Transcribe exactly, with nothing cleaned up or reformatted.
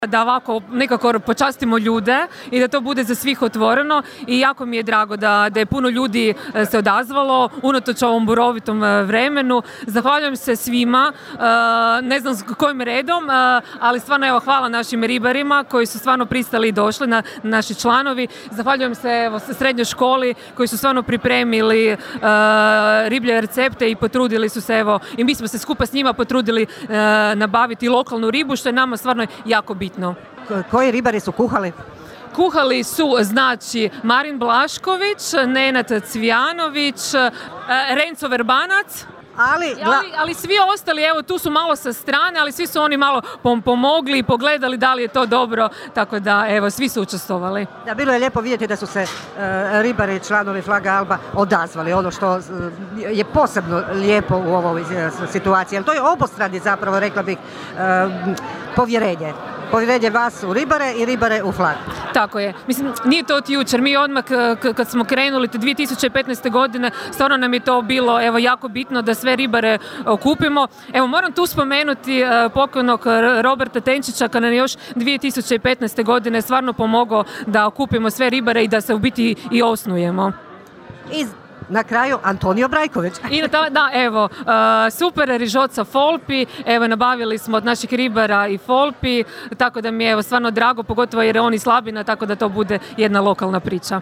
da ovako nekako počastimo ljude i da to bude za svih otvoreno i jako mi je drago da, da je puno ljudi se odazvalo unatoč ovom burovitom vremenu. Zahvaljujem se svima, ne znam s kojim redom, ali stvarno evo hvala našim ribarima koji su stvarno pristali i došli, na, naši članovi. Zahvaljujem se evo srednjoj školi koji su stvarno pripremili uh, riblje recepte i potrudili su se evo i mi smo se skupa s njima potrudili uh, nabaviti lokalnu ribu što je nama stvarno jako bitno. Koji ribari su kuhali? Kuhali su, znači, Marin Blašković, Nenad Cvijanović, Renzo Verbanac, ali, gla... ali, ali svi ostali, evo, tu su malo sa strane, ali svi su oni malo pom- pomogli i pogledali da li je to dobro, tako da, evo, svi su učestvovali. Da, bilo je lijepo vidjeti da su se uh, ribari, članovi Flaga Alba odazvali, ono što uh, je posebno lijepo u ovoj uh, situaciji, jer to je obostrani zapravo, rekla bih, uh, povjerenje. Povjerenje vas u ribare i ribare u Flag. Tako je. Mislim, nije to od jučer. Mi odmah k- kad smo krenuli te dvije tisuće petnaeste. godine, stvarno nam je to bilo evo jako bitno da sve ribare okupimo. Evo moram tu spomenuti uh, pokojnog Roberta Tenčića kada nam je još dvije tisuće petnaeste. godine stvarno pomogao da okupimo sve ribare i da se u biti i osnujemo. Iz Na kraju Antonio Brajković. I ta, da, evo, uh, super rižoca Folpi, evo, nabavili smo od naših ribara i Folpi, tako da mi je evo stvarno drago, pogotovo jer je on iz Slabina, tako da to bude jedna lokalna priča.